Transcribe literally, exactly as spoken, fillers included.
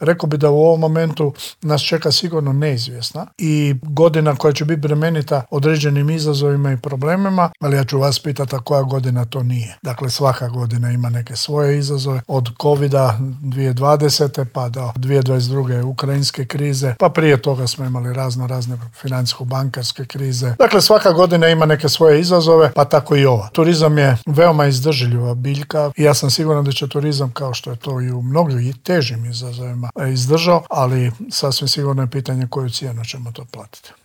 rekao bi da u ovom momentu nas čeka sigurno neizvjesna i godina koja će biti bremenita određenim izazovima i problemima, ali ja ću vas pitati a koja godina to nije. Dakle, svaka godina ima neke svoje izazove, od covida dvije tisuće dvadesete pa do dvije tisuće dvadeset druge ukrajinske krize, pa prije toga smo imali razno razne financijsko-bankarske krize. Dakle, svaka godina ima neke svoje izazove, pa tako i ova. Turizam je veoma izdržljiva biljka i ja sam siguran da će turizam, kao što je to i u mnogim težim izazovima, izdržao, ali sasvim sigurno je pitanje koju cijenu ćemo to platiti.